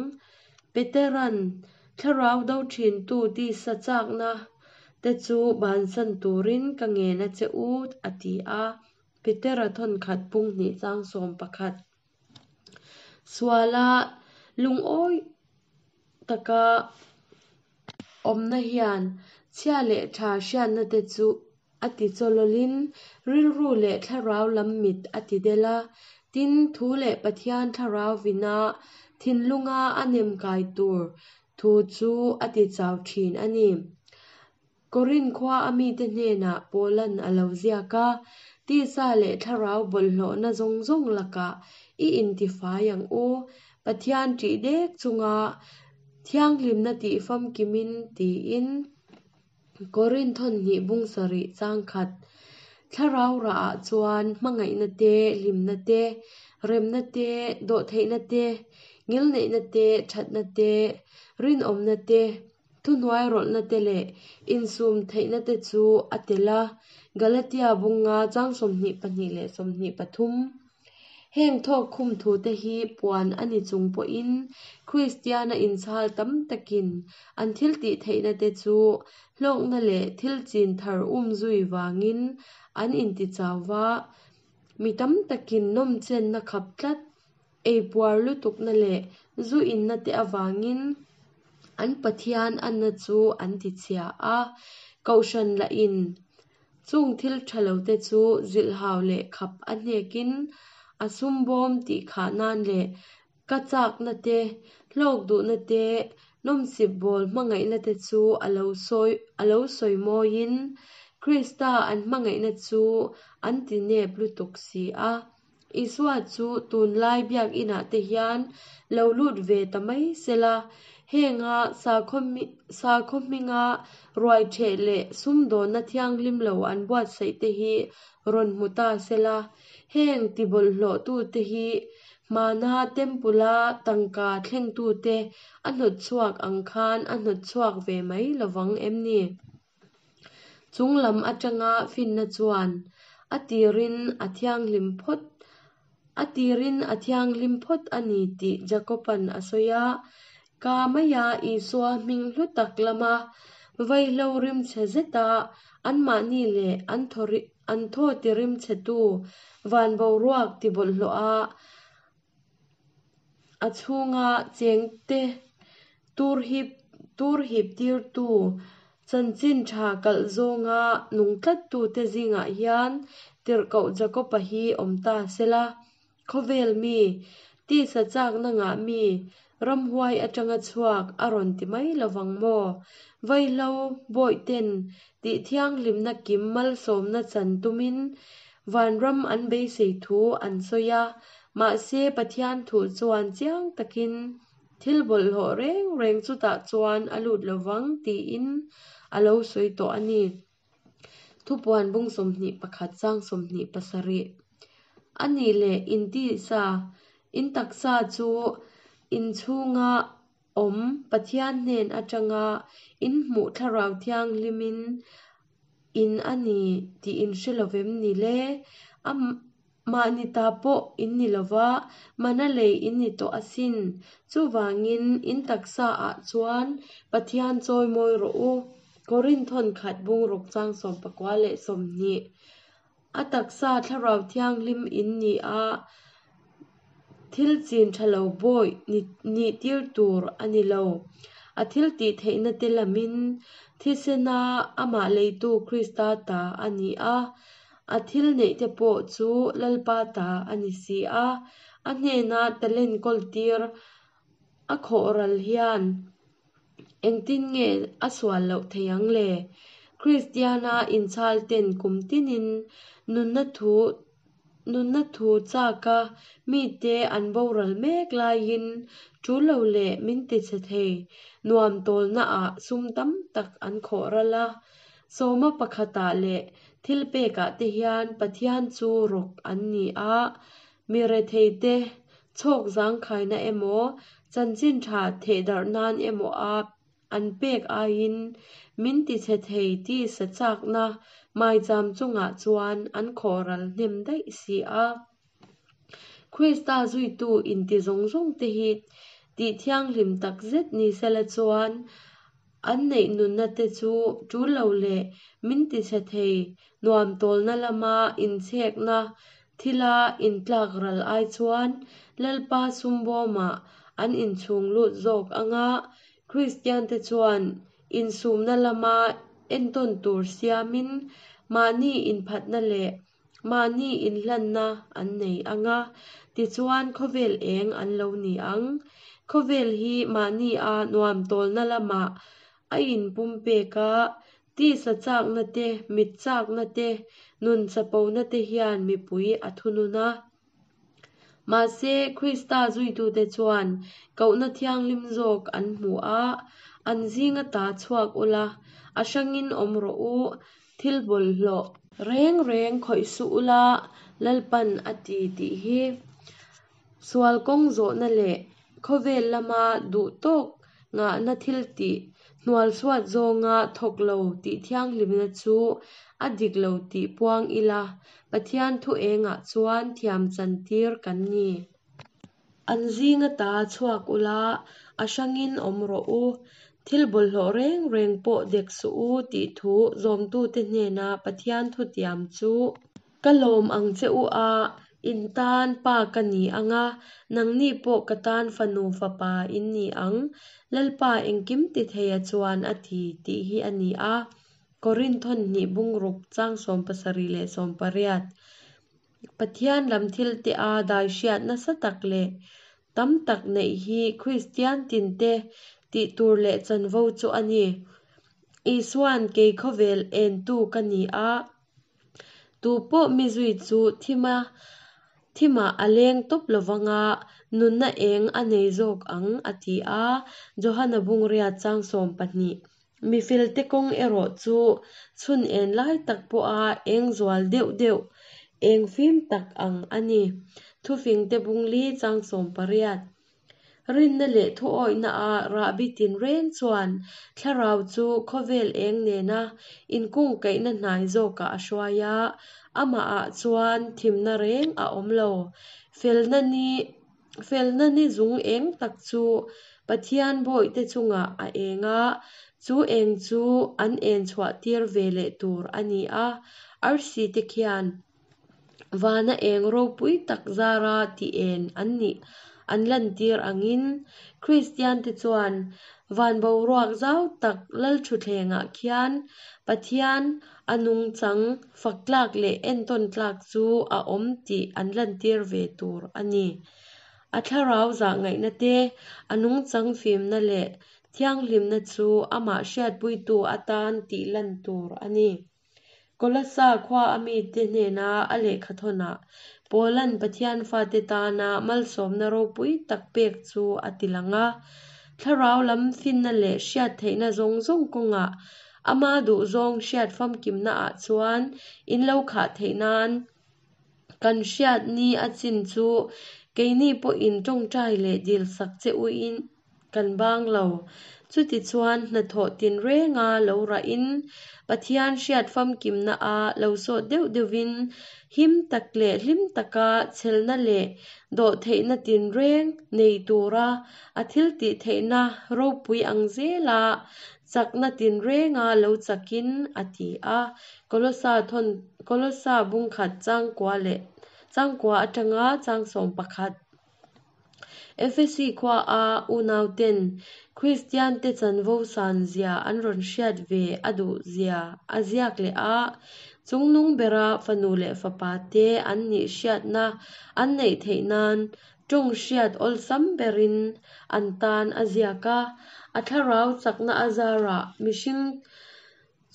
Petera'n thlarau do thintu tisa chakna te chu bansan turin ka ngen a che u, a ti a. Petera thawnkhat pung hnih chang 11. Suala lungawi taka awmna hian chhia leh tha hriatna te chu a ti chawlawlin rilru leh thlarau lam mit a ti del a, tin, thu leh Pathian thlarau vina thinlunga a nem kai tur thu chu a ti chau thin a ni. Korinth khua a mite hnenah Paulan a lo ziak a, Tisa leh thlarau bawlhhlawhna zawng zawng lakah i intifai ang u, Pathian ṭih dek chunga thianghlimna tih famkimin tiin. Korinth thawn hnih bung sarih chang khat thlarau rah ah chuan hmangaihna te, hlimna te, remna te, dawhtheihna te, ngilneihna te, thatna te, rinawmna te, thuhnuai rawlhna te leh insum theihna te chu a tel a, Galatia bunga chang 22 leh 23. Heng thawk khum thute hi puan a ni chung pawhin Kristiana inchhal tam takin an thil tih theihna te chu hlawkna leh thil chin thar um zui vangin an intichau va, mi tam takin nawmchenna khap tlat, eipuar lutukna leh zu inna te avangin an Pathian anna chu an tichhia a, Kohhran lahin Chung thil tha lo te chu zilhhau leh khap a hnekin a sum bawm tih khah nan leh ka chakna te, hlawk duhna te, nawmsip bawl hmangaihna te chu a lo sawi a lo sawi mawiin Krista an hmangaihna chu an ti nep lutuk si a. Isua chu tunlai biakinah te hian lo lut ve ta mai sela, henga sakhaw hminga ruaiṭheh leh sumdawnna thianghlim lo an buatsaih te hi rawn hmu ta sela, heng tibawlhhlawhtute hi hmana temple-a tangka thlengtute a hnawtchhuak ang khan a hnawtchhuak ve mai lovang em ni? Chung lam atanga finna chuan a tirin a thianghlim phawt a tirin a thianghlim phawt a ni tih Jakoban a sawi a. Ka maia Isua hming hlu tak lama vaihlo rimchhe zeta anmahni leh an thaw an thaw tirimchhetu van boruak tibawlhhlawh a. A chhunga chengte tur hiptirtu chanchin tha kalh zawnga nung tlattute zingah hian Tirhkoh Jakoba hi awm ta sela, khawvel mi, tisa chakna ngah mi, ramhuai atanga chhuak a rawn ti mai lovang maw? Vaihlo bawihten tihthianghlimna kim malsawmna chan tumin vanram an beisei thu an sawi a, mahse Pathian thu chuan chiang takin thil bawlhhlawh reng reng chutah chuan a lut lovang tiin a lo sawi tawh a ni. Thupuan bung 21 chang 27. A nih leh in tisa, in taksa chu in chhunga awm Pathian hnen atanga in hmuh Thlarau Thianghlimin in a ni tih in hre lovem ni le? A mahni ta pawh in ni lova, mana lei in ni tawh asin. Chuvangin in taksa ah chuan Pathian chawimawi rawh u. Korinthon khat bungruk chang 19 leh 20. A taksa Thlarau Thianghlim in ni a, thil chin tha lo bawih nih tir tur a ni lo. A thil tih theihna te lamin thisena amah leitu Krista ta a ni a, a thil neih te pawh chu Lalpa ta a ni si a, a hnena talent kawl tir a khawh ral hian Engtin nge a sual loh thei ang le? Kristiana inchhal ten kum tinin nunna thu nunna thu chaka mite an boral mek laiin tul lo leh min tichhe thei nuam tawlnaah sum tam tak an khawh ral a. Sawma pakhatah leh thilpekah te hian Pathian chu rawk an ni a, Mi retheite chhawk zangkhaina emaw, chanchin tha thehdarh nan emaw a an pek aiin min tichhe thei tisa chakna maicham chungah chuan an khawhral hnem daih si a. Krista zuitu inti zawng zawng te hi tih thianghlim takzet ni sela chuan An neih nunna te chu tul lo leh min tichhe thei nuam tawlna lama inchhekna thila intlak ral ai chuan Lalpa sumbawmah an inchhung lut zawk anga Kristian te chuan insumna lama entawn tur siamin mahni inphatna leh Mahni inhlanna an nei ang a, tichuan khawvel eng an lo ni ang. Khawvel hi mahni a nuam tawlna lamah a inpumpek a, tisa chakna te, mit chakna te, nun chapona te hian mipui a thunun a. Mahse, Krista zuitute chuan kohna thianghlim zawk an hmu a, an zinga ta chhuak ula, a hrangin awm rawh u, thil bawlhhlawh reng reng khawih suh ula, Lalpan a ti tih hi sual kawng zawhna leh khawvel lama duh tawk ngahna thil tih hnualsuat zawnga thawk lo tih thianghlimna chu a dik lo tih puang ila, Pathian thu engah chuan thiam chantir kan ni. An zinga ta chhuak ula, a hrangin awm rawh u. Thil bawlhhlawh reng reng pawh dek suh u tih thu zawmtute hnena Pathian thutiam chu ka lawm ang che u a, in tan pa ka ni ang a, nangni pawh ka tan fanu fapa in ni ang, Lalpa engkim ti theia chuan a ti tih hi a ni a. Korinthon hnih bungruk chang 70 leh 80. Pathian lam thil te a dai hriat nasa tak leh tam tak neih hi Kristian tinte tih tur leh chanvo chu a ni. Isuan kei khawvel entu ka ni a, tu pawh mi zui chu thima thimah a leng tawp lovang a, nunna eng a nei zawk ang a ti a, Johana bungriat chang 12. Mifelte kawng erawh chu chhun en lai tak pawha eng zual deuh deuh, eng fim tak ang a ni. Thufingte bungli chang 18. Rinna leh thuawihna a rahbi tinreng chuan thlarau chu khawvel eng nena inkungkaihna hnai zawkah a hruai a, amahah chuan thimna reng a awm lo. Felna ni Felna ni zung eng tak chu Pathian bawihte chungah a eng a, chu eng chu an en chhuah tir ve leh tur a ni a, arsi te khian. Vana eng ropui tak zara tih en an nih an lantir angin Kristiante chuan van boruak zau tak lalthutthlengah khian Pathian a nungchang fak tlak leh entawn tlak chu a awm tih an lantir ve tur a ni. A thlarau zahngaihna te, a nungchang fimna leh thianghlimna chu amah hriatpuitu atan tih lan tur a ni. Kolasa khua a mite hnena a lehkhathawnah Paula'n Pathian fate tana malsawmna ropui tak pek chu a ti lang a. Thlarau lam finna leh hriat theihna zawng zawng kawngah ama duhzawng hriat famkimnaah chuan in lo khah theih nan kan hriat ni a chin chu keini pawhin tawngtai leh dilsak che uin Kan bang lo. Chutichuan hnathawh tinrenga lo rahin Pathian hriat famkimna a lo sawt deuh deuhvin him tak leh hlim taka chhelna leh dawhtheihna tinreng nei tura a thiltihtheihna ropui ang zela chakna tinrenga lo chakin a ti a. Kolosa thawn Kolosa bungkhat changkua leh changkua atanga changsawm pakhat. Efesi khua a unauten Kristiante chanvo san zia an rawn hriat ve a duh zia a ziak leh a, chungnung bera fanu leh fapa te an nih hriatna an neih theih nan tawng hriat awlsam berin an tan a ziak a, a thlarau chakna a zarah mihring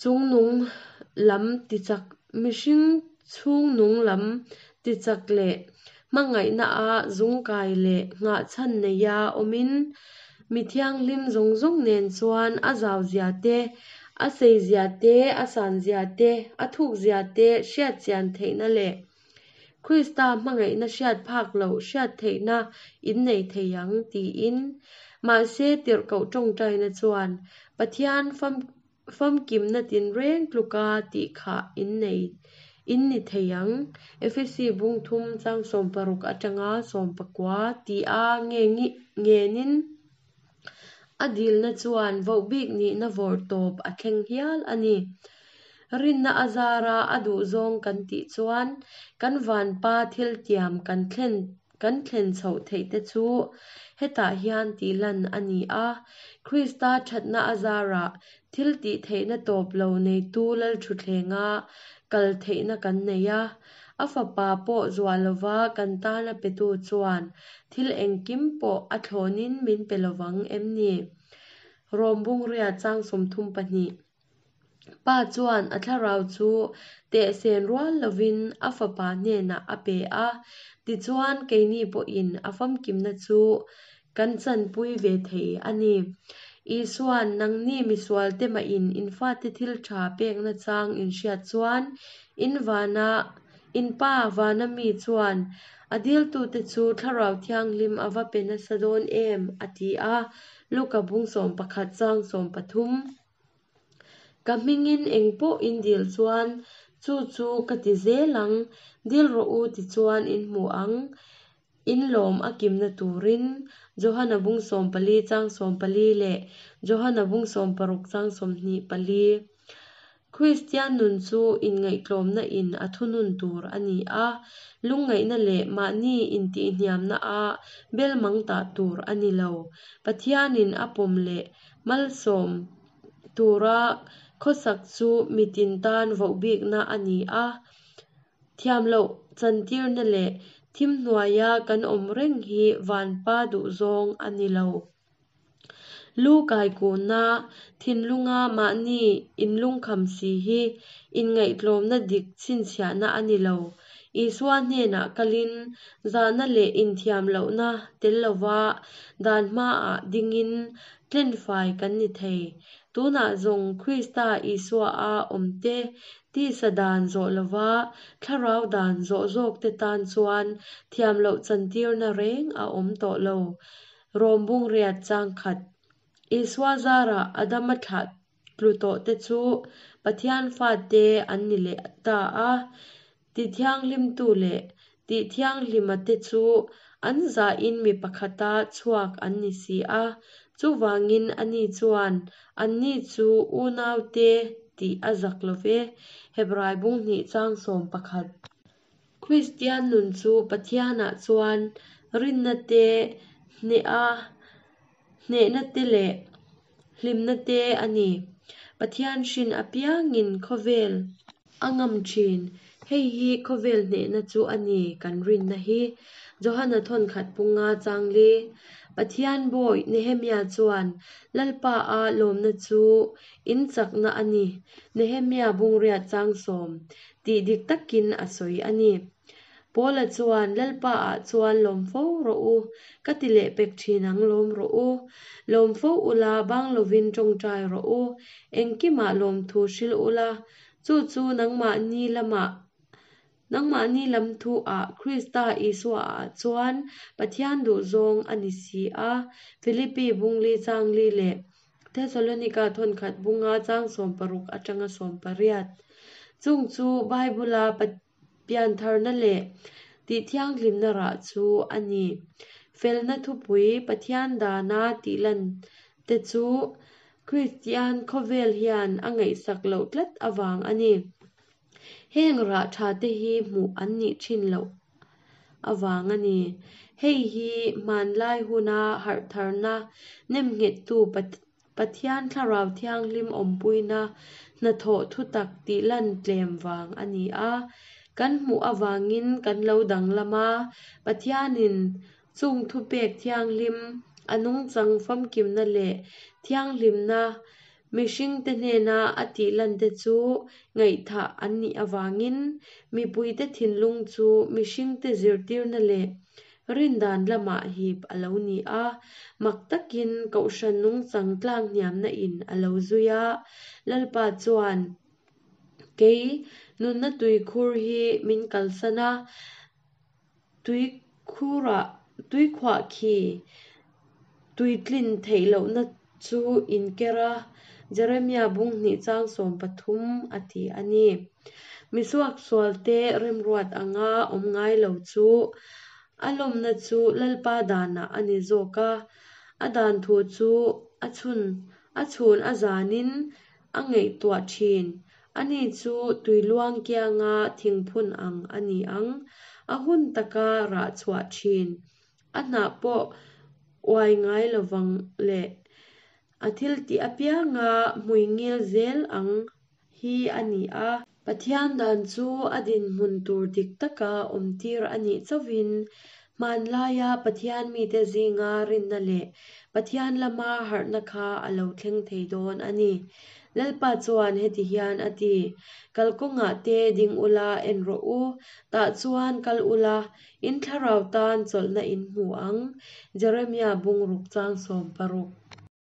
chungnung lam tichak mihring chhungnung lam tichak leh hmangaihna a zungkai leh nghahchhan neia awmin mi thianghlim zawng zawng nen chuan a zau zia te, a sei zia te, a san zia te, a thuk zia te hriat chian theihna leh Krista hmangaihna hriat phak loh hriat theihna in nei thei ang tiin. Mahse tirhkoh tawngtaina chuan Pathian famkimna tinreng tluka tih kha in nei in ni thei ang, Efesi bung thum chang 60 atanga 19 tia ngenin a dilna chuan vohbik nihna vawrh tawp a thleng hial a ni. Rinna a zara a duhzawng kan tih chuan kan vanpa thiltiam kan thlen kan thlen chhoh theih te chu hetah hian tih lan a ni a. Krista thatna a zarah thil tih theihna tawp lo neitu Lalthuthlenga kal theihna kan nei a. A fapa pawh zuah lova kan tana petu chuan thil engkim pawh a thlawnin min pe lovang em ni? Rom Bungria chang 32. Pa chuan a thlarau chu tehsen rual lovin a fapa hnenah a pe a, tichuan keini pawhin a famkimna chu kan chanpui ve thei a ni. Isua'n, Nangni misualte mahin in fate thil tha pekna chang in hriat chuan in vana in Pa vana mi chuan a diltute chu Thlarau Thianghlim a va pe nasa dawn em? a ti a, Luka bung 11 chang 13. Ka hmingin engpawh in dil chuan chu chu ka ti zel ang, dil rawh u tichuan in hmu ang. In lawm a kimna turin Johana bung 14 chang 14 leh Johana bung 16 chang 24. Kristian nun chu inngaihtlawmna in a thunun tur a ni a, lungngaihna leh mahni intihhniamna a belmang tah tur a ni lo. Pathianin a pawm leh Malsawm tura khawsak chu mitin tan vohbikna a ni a, thiamloh chantirna leh thim hnuaia kan awm reng hi vanpa duhzawng a ni lo. Lu kaikunna, thinlunga mahni inlungkham si hi inngaihtlawmna dik chhinchhiahna a ni lo. Isua hnenah kalin zahna leh inthiamlohna tel lova dan hmaah dingin tlenfai kan ni thei. Tunah zawng Krista Isua-a awmte tisa dan zawh lova thlarau dan zawh zawkte tan chuan thiamloh chantirna reng a awm tawh lo. Rom Bungriat chang khat. Isua zarah Adama thlah tlu tawhte chu Pathian fate an ni leh ta a, tithianghlimtu leh tihthianghlima te chu an zahin mi pakhata chhuak an ni si a, chuvangin ani chuan anni chu unaute tih a zak lo ve, Hebrai bung hnih chang 11. Kristian nun chu Pathianah chuan rinna te, hnehna te leh hlimna te a ni. Pathian hrin apiangin khawvel a ngam thin. Hei hi khawvel hnehna chu a ni kan rinna hi. Johana thawnkhat punga changli. Pathian bawi Nehemia chuan Lalpa a lawmna chu in chakna a ni, Nehemia bungriat changsawm, tih dik takin a sawi a ni. Paula chuan Lalpa ah chuan lawm fo rawh u, ka ti leh pek thin ang lawm rawh u. Lawm fo ula bang lovin tawngtai rawh u, engkimah lawmthu hrilh ula, chu chu nangmahni lamah Nangmahni lam thu ah Krista Isua ah chuan Pathian duhzawng a ni si a, Philippi bungli changli leh Thesalonika thawnkhat bunga chang 16 atanga 18. Chung chu Bible-a piantharna leh tihthianghlimna rah chu a ni. Felna thupui Pathian dana tihlan te chu Kristian khawvel hian a ngaihsak loh tlat avang a ni. Heng rah tha te hi hmuh an nih thin loh avang a ni. Hei hi hmanlai huna harhtharna nemnghettu Pathian Thlarau Thianghlim awmpuina hnathawh thutak tihlan tlem vang a ni a. Kan hmuh avangin kan lo danglam a, Pathianin chung thupek thianghlim, a nungchang famkimna leh thianghlimna Mihringte hnena a tihlante chu ngaihthah an nih avangin mipuite thinlung chu mihringte zirtirna leh rindan lamah hip a lo ni a, mak takin kohhran nungchang tlanghniamna in a lo zui a. Lalpa chuan, Kei nunna tuikhur hi min kalsan a, Tuikhurah tuikhuah khi tuitlin theih lohna chu inker a, Jeremia bung hnih chang 13 a ti a ni. Misuaksualte remruat anga awm ngai lo chu a lawmna chu Lalpa danah a ni zawk a, a dan thu chu a chhun a chhun a zanin a ngaihtuah thin. Ani chu tuiluang kianga thingphun ang a ni ang. A hun taka rah chhuah thin. A hnah pawh uai ngai lovang le. A thil tih apianga hmuingil zel ang hi a ni a. Pathian dan chu a dinhmun tur dik taka awmtir a nih chauhin hmanlaia Pathian mite zinga rinna leh Pathian lama harhna kha a lo thleng thei dawn a ni. Lalpa chuan heti hian a ti, Kalkawngah te ding ula en rawh u, tah chuan kal ula, in thlarau tan chawlhna in hmu ang, Jeremia bungruk chang 16.